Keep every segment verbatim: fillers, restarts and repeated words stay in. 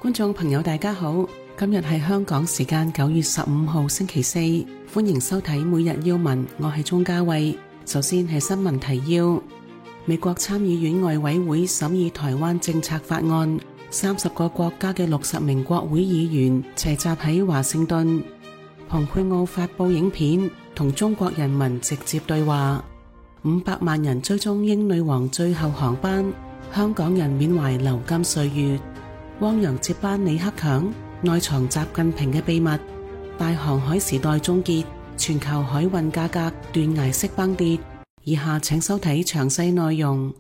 觀眾朋友大家好，今日係香港時間九月十五號星期四，歡迎收睇每日要聞，我係鍾嘉慧。首先係新聞提要：美國參議院外委會審議台灣政策法案，三十個國家嘅六十名國會議員齊集喺華盛頓。蓬佩奧發佈影片，同中國人民直接對話。五百萬人追蹤英女王最後航班，香港人緬懷流金歲月。汪洋接班李克強，內藏習近平嘅秘密。大航海時代終結，全球海運價格斷崖式崩跌。以下請收睇詳細內容。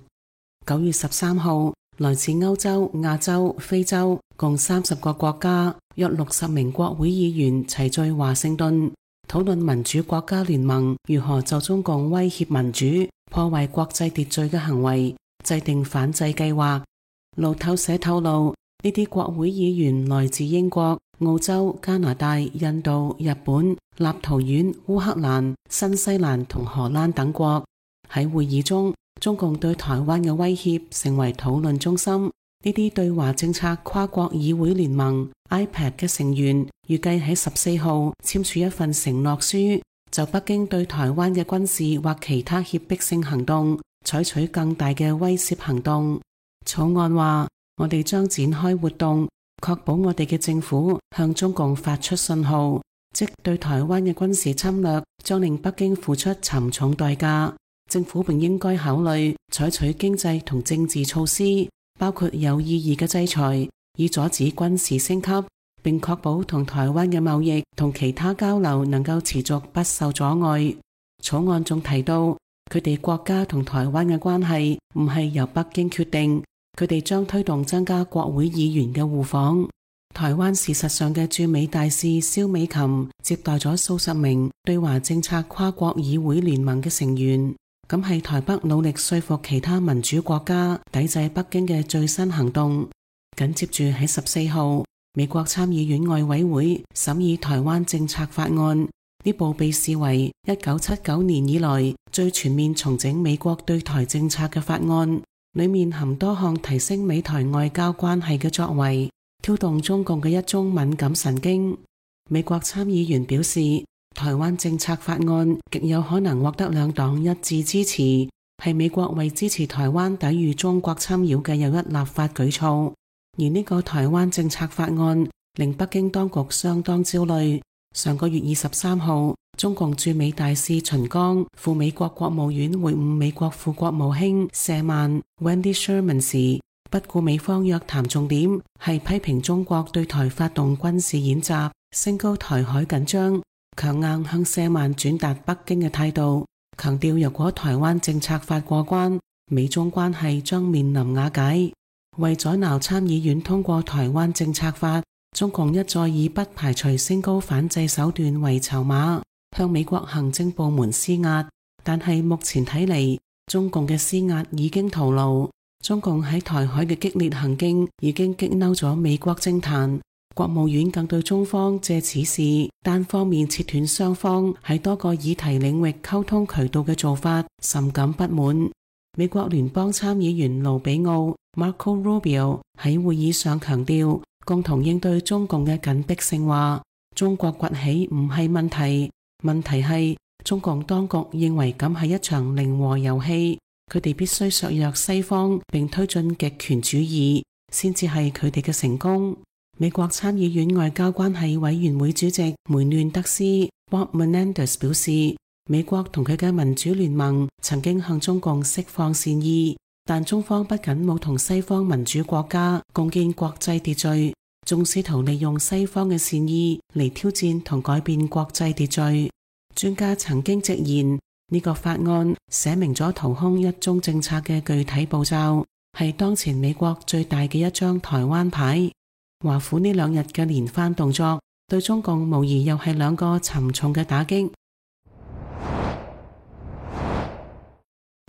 九月十三號，來自歐洲、亞洲、非洲共三十個國家，約六十名國會議員齊聚華盛頓，討論民主國家聯盟如何就中共威脅民主、破壞國際秩序嘅行為制定反制計劃。路透社透露，呢啲國會議員來自英國、澳洲、加拿大、印度、日本、立陶宛、烏克蘭、新西蘭同荷蘭等國。喺會議中，中共對台灣嘅威脅成為討論中心。呢啲對華政策跨國議會聯盟 I P A C 嘅成員預計喺十四號簽署一份承諾書，就北京對台灣嘅軍事或其他脅迫性行動採取更大嘅威懾行動。草案話，我哋將展開活動，確保我哋嘅政府向中共發出信號，即對台灣嘅軍事侵略將令北京付出沉重代價。政府並應該考慮採取經濟同政治措施，包括有意義嘅制裁，以阻止軍事升級，並確保同台灣嘅貿易同其他交流能夠持續不受阻礙。草案仲提到，佢哋國家同台灣嘅關係唔係由北京決定，佢哋將推動增加國會議員嘅互訪。台灣事實上嘅駐美大使蕭美琴接待咗數十名對華政策跨國議會聯盟嘅成員，咁係台北努力說服其他民主國家抵制北京嘅最新行動。緊接住喺十四號，美國參議院外委會審議台灣政策法案，呢部被視為一九七九年以來最全面重整美國對台政策嘅法案，裏面含多項提升美台外交關係嘅作為，挑動中共嘅一宗敏感神經。美國參議員表示，台灣政策法案極有可能獲得兩黨一致支持，係美國為支持台灣抵禦中國侵擾嘅又一立法舉措。而呢個台灣政策法案令北京當局相當焦慮。上個月二十三號，中共駐美大使秦剛赴美國國務院會晤美國副國務卿舍曼 Wendy Sherman 時，不顧美方約談重點係批評中國對台發動軍事演習，升高台海緊張，強硬向舍曼轉達北京嘅態度，強調若果台灣政策法過關，美中關係將面臨瓦解。為阻撓參議院通過台灣政策法，中共一再以不排除升高反制手段為籌碼，向美國行政部門施壓。但係目前睇嚟，中共嘅施壓已經徒勞。中共喺台海嘅激烈行徑已經激嬲咗美國政壇，國務院更對中方借此事單方面切斷雙方喺多個議題領域溝通渠道嘅做法甚感不滿。美國聯邦參議員盧比奧 Marco Rubio 喺會議上強調，共同應對中共嘅緊迫性話，中國崛起唔係問題，問題係中共當局認為咁係一場零和遊戲，佢哋必須削弱西方並推進極權主義，先至係佢哋嘅成功。美國參議院外交關係委員會主席梅嫩德斯 Bob Menendez 表示，美國同佢嘅民主聯盟曾經向中共釋放善意，但中方不僅冇同西方民主國家共建國際秩序，仲試圖利用西方嘅善意嚟挑戰同改變國際秩序。專家曾經直言，呢個法案寫明咗掏空一中政策嘅具體步驟，係當前美國最大嘅一張台灣牌。華府呢兩日嘅連番動作，對中共無疑又係兩個沉重嘅打擊。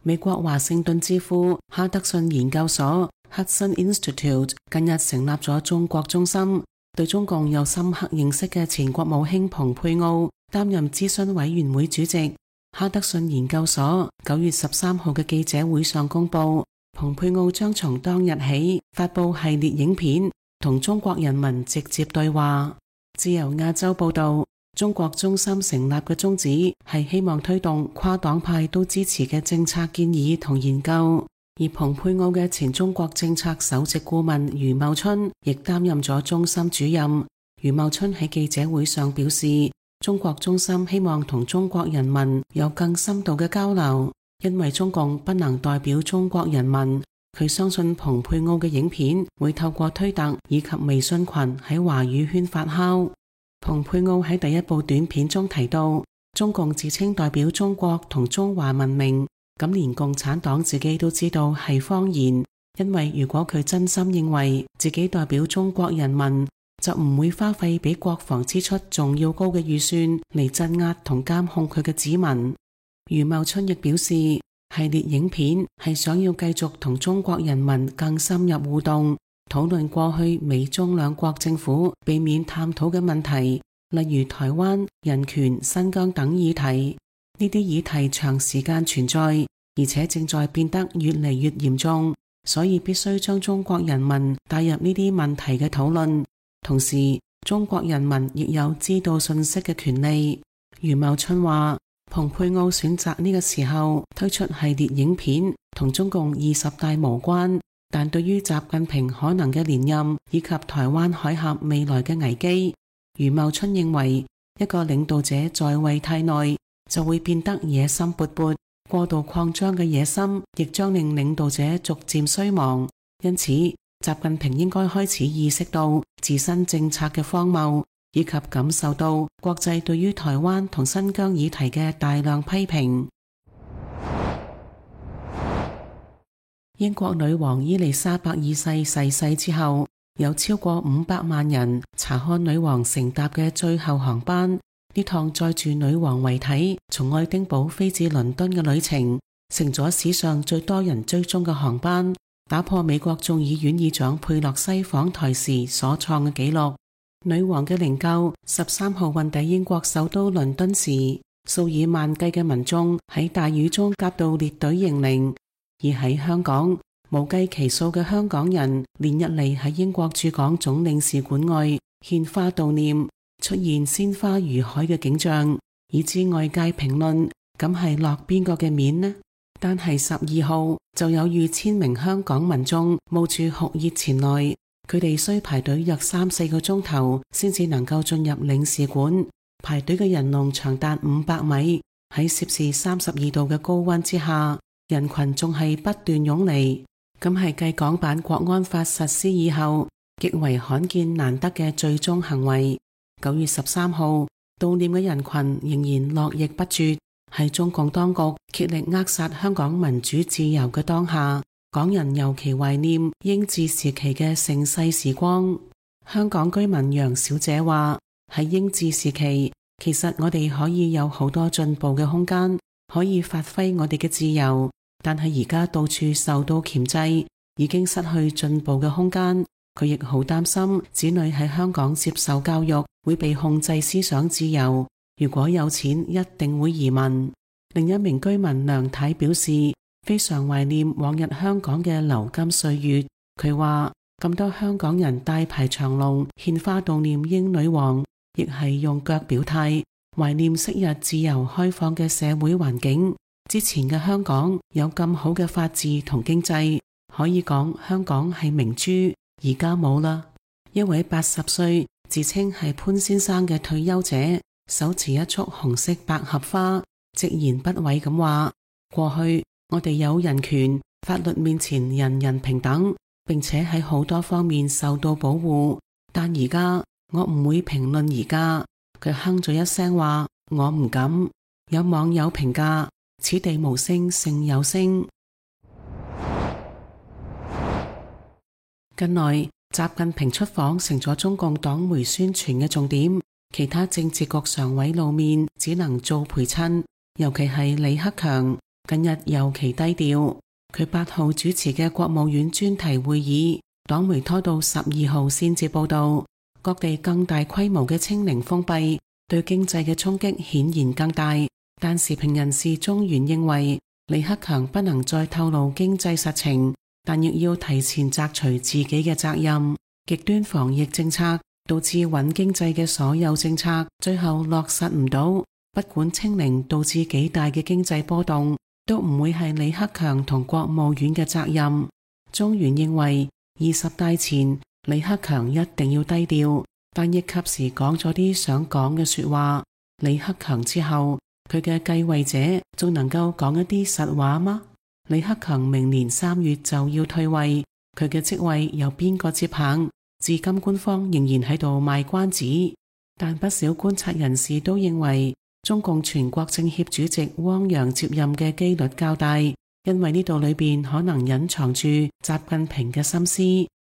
美國華盛頓智庫哈德遜研究所 Hudson Institute 近日成立咗中國中心，對中共有深刻認識嘅前國務卿蓬佩奧擔任諮詢委員會主席。哈德遜研究所九月十三號嘅記者會上公布，蓬佩奧將從當日起發佈系列影片，同中國人民直接對話。自由亞洲報道，中國中心成立嘅宗旨係希望推動跨黨派都支持嘅政策建議同研究。而蓬佩奧嘅前中國政策首席顧問余茂春亦擔任咗中心主任。余茂春喺記者會上表示，中國中心希望同中國人民有更深度嘅交流，因為中共不能代表中國人民。佢相信蓬佩奧嘅影片會透過推特以及微信群喺華語圈發酵。蓬佩奧喺第一部短片中提到，中共自稱代表中國同中華文明，咁連共產黨自己都知道係謊言，因為如果佢真心認為自己代表中國人民，就唔會花費比國防支出仲要高嘅預算嚟鎮壓同監控佢嘅子民。余茂春亦表示，系列影片係想要繼續同中國人民更深入互動，討論過去美中兩國政府避免探討嘅問題，例如台灣、人權、新疆等議題。呢啲議題長時間存在，而且正在變得越嚟越嚴重，所以必須將中國人民帶入呢啲問題嘅討論。同時，中國人民亦有知道信息嘅權利。余茂春話，蓬佩奧選擇呢個時候推出系列影片，同中共二十大無關，但對於習近平可能嘅連任以及台灣海峽未來嘅危機，余茂春認為一個領導者在位太耐，就會變得野心勃勃，過度擴張嘅野心亦將令領導者逐漸衰亡。因此，習近平應該開始意識到自身政策嘅荒謬，以及感受到國際對於台灣同新疆議題嘅大量批評。英國女王伊麗莎白二世逝世之後，有超過五百萬人查看女王乘搭嘅最後航班。呢趟載住女王遺體從愛丁堡飛至倫敦嘅旅程，成咗史上最多人追蹤嘅航班，打破美國眾議院議長佩洛西訪台時所創嘅紀錄。女王嘅靈柩十三號運抵英國首都倫敦時，數以萬計嘅民眾喺大雨中夾道列隊迎靈。而喺香港，無計其數嘅香港人連日嚟喺英國駐港總領事館外獻花悼念，出現鮮花如海嘅景象，以致外界評論，咁係落邊個嘅面呢？但係十二號就有逾千名香港民眾冒住酷熱前來，佢哋需排隊約三四個鐘頭先至能夠進入領事館，排隊嘅人龍長達五百米，喺攝氏三十二度嘅高溫之下，人群仲係不斷湧嚟，咁係繼港版國安法實施以後極為罕見難得嘅最終行為。九月十三號，悼念嘅人群仍然絡繹不絕，喺中共當局竭力扼殺香港民主自由嘅當下，港人尤其懷念英治時期嘅盛世時光。香港居民楊小姐話，喺英治時期，其實我哋可以有好多進步嘅空間，可以發揮我哋嘅自由，但係而家到處受到鉗制，已經失去進步嘅空間。佢亦好擔心子女喺香港接受教育會被控制思想自由，如果有錢一定會移民。另一名居民梁太表示，非常懷念往日香港嘅流金歲月。佢話，咁多香港人大排長龍獻花悼念英女王，亦係用腳表態，懷念昔日自由開放嘅社會環境。之前嘅香港有咁好嘅法治同經濟，可以講香港係明珠，而家冇啦。一位八十歲自稱係潘先生嘅退休者，手持一束紅色百合花，直言不諱咁話，過去我哋有人權，法律面前人人平等，並且喺好多方面受到保護，但而家我唔會評論而家。佢哼咗一聲話，我唔敢。有網友評價，此地無聲勝有聲。近來習近平出訪成咗中共黨媒宣傳嘅重點，其他政治局常委露面只能做陪襯，尤其係李克強近日尤其低調。佢八號主持嘅國務院專題會議，黨媒拖到十二號先至報道。各地更大規模嘅清零封閉對經濟嘅衝擊顯然更大，但時評人士中原認為李克強不能再透露經濟實情，但亦要提前摘除自己嘅責任。極端防疫政策導致穩經濟嘅所有政策最後落實唔到，不管清零導致幾大嘅經濟波動，都唔會係李克強同國務院嘅責任。中原認為二十大前李克強一定要低調，但亦及時講咗啲想講嘅說話。李克強之後，佢嘅繼位者仲能夠講一啲實話嗎？李克強明年三月就要退位，佢嘅職位由邊個接棒？至今官方仍然喺度賣關子，但不少觀察人士都認為中共全國政協主席汪洋接任嘅機率較大，因為呢度裏邊可能隱藏住習近平嘅心思，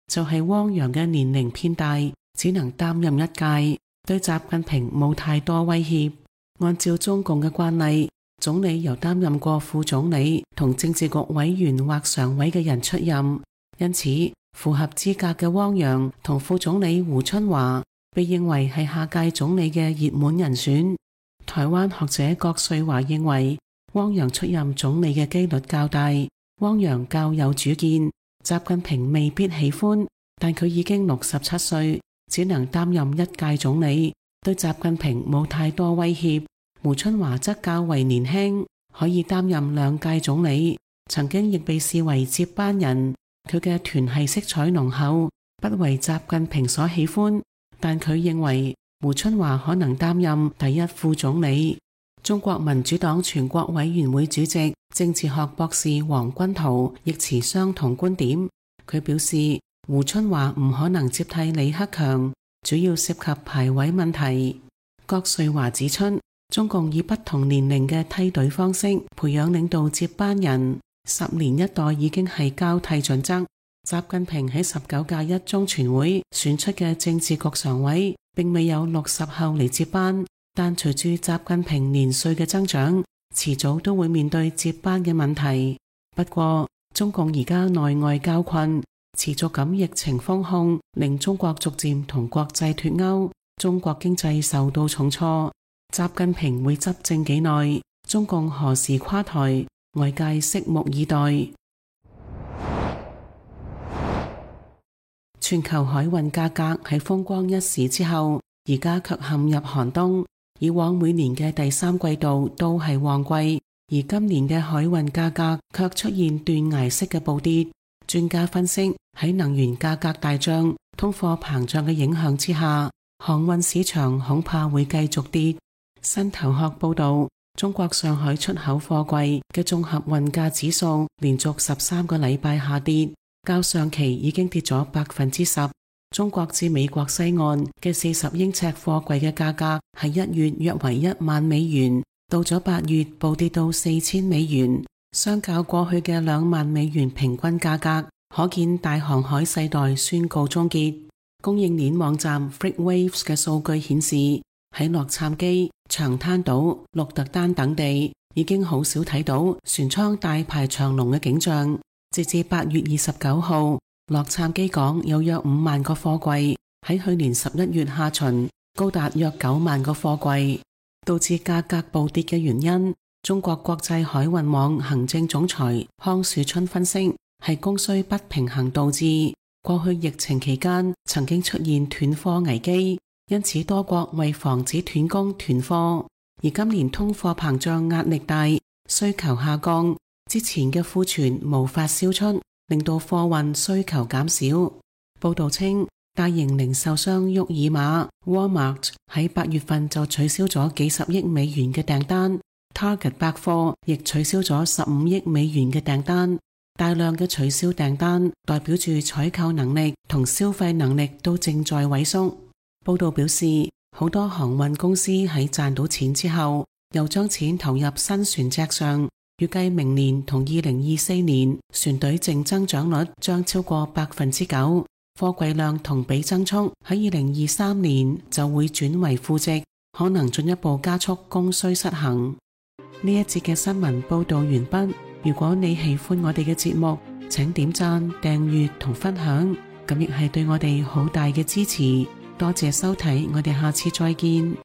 就係汪洋嘅年齡偏大，只能擔任一屆，對習近平冇太多威脅。按照中共嘅慣例，總理由擔任過副總理同政治局委員或常委嘅人出任，因此符合資格嘅汪洋同副總理胡春華被認為係下屆總理嘅熱門人選。台灣學者郭瑞華認為汪洋出任總理嘅機率較大，汪洋較有主見，習近平未必喜歡，但佢已經六十七歲，只能擔任一屆總理，對習近平冇太多威脅。胡春華則較為年輕，可以擔任兩屆總理，曾經亦被視為接班人。佢嘅團系色彩濃厚，不為習近平所喜歡，但佢認為胡春華可能擔任第一副總理。中國民主黨全國委員會主席、政治學博士黃君濤亦持相同觀點。佢表示，胡春華唔可能接替李克強，主要涉及排位問題。郭瑞華指出，中共以不同年齡嘅梯隊方式培養領導接班人。十年一代已經係交替準則。習近平喺十九屆一中全會選出嘅政治局常委，並未有六十後嚟接班，但隨住習近平年歲嘅增長，遲早都會面對接班嘅問題。不過，中共而家內外交困，持續咁疫情封控，令中國逐漸同國際脫鈎，中國經濟受到重挫。習近平會執政幾耐？中共何時垮台？外界拭目以待。全球海運價格喺風光一時之後，而家卻陷入寒冬。以往每年嘅第三季度都係旺季，而今年嘅海運價格卻出現斷崖式嘅暴跌。專家分析，喺能源價格大漲、通貨膨脹嘅影響之下，航運市場恐怕會繼續跌。新頭殼報道，中國上海出口貨櫃嘅綜合運價指數連續十三個禮拜下跌，較上期已經跌咗百分之十。中國至美國西岸嘅四十英尺貨櫃嘅價格喺一月約為一萬美元，到咗八月暴跌到四千美元，相較過去嘅兩萬美元平均價格，可見大航海世代宣告終結。供應鏈網站 FreightWaves 嘅數據顯示，喺洛杉磯、長灘島、鹿特丹等地已經好少睇到船艙大排長龍嘅景象。截至八月二十九號，洛杉磯港有約五萬個貨櫃，喺去年十一月下旬高達約九萬個貨櫃。導致價格暴跌嘅原因，中國國際海運網行政總裁康樹春分析，係供需不平衡導致。過去疫情期間曾經出現斷貨危機，因此多國為防止斷供斷貨。而今年通貨膨脹壓力大，需求下降，之前嘅庫存無法銷出，令到貨運需求減少。報道稱，大型零售商沃爾瑪 Walmart 喺八月份就取消咗幾十億美元嘅訂單， Target 百貨亦取消咗十五億美元嘅訂單。大量嘅取消訂單代表住採購能力同消費能力都正在萎縮。報道表示，好多航運公司喺賺到錢之後，又將錢投入新船隻上，預計明年同二零二四年船隊淨增長率將超過百分之九，貨櫃量同比增速喺二零二三年就會轉為負值，可能進一步加速供需失衡。呢一節嘅新聞報道完畢。如果你喜歡我哋嘅節目，請點讚、訂閱同分享，咁亦係對我哋好大嘅支持。多謝收睇，我哋下次再見。